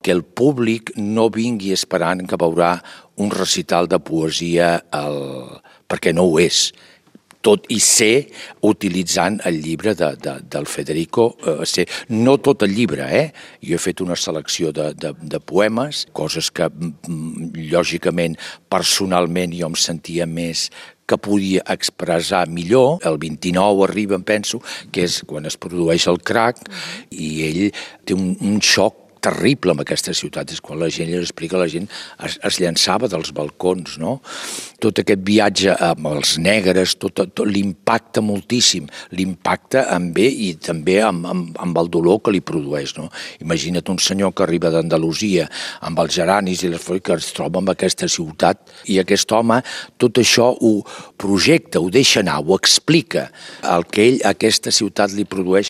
perquè el públic no vingui esperant que veurà un recital de poesia, perquè no ho és. Tot i ser utilitzant el llibre del Federico, no tot el llibre, Jo he fet una selecció de poemes, coses que, lògicament, personalment jo em sentia més que podia expressar millor. El 29 arriba, em penso, que és quan es produeix el crac, i ell té un xoc terrible amb aquesta ciutat. És quan la gent li explica, la gent es llançava dels balcons, no? Tot aquest viatge amb els negres, tot l'impacta moltíssim. L'impacta amb ell i també amb el dolor que li produeix, no? Imagina't un senyor que arriba d'Andalusia amb els geranis i les flors, que es troba en aquesta ciutat, i aquest home tot això ho projecta, ho deixa anar, ho explica, el que ell a aquesta ciutat li produeix.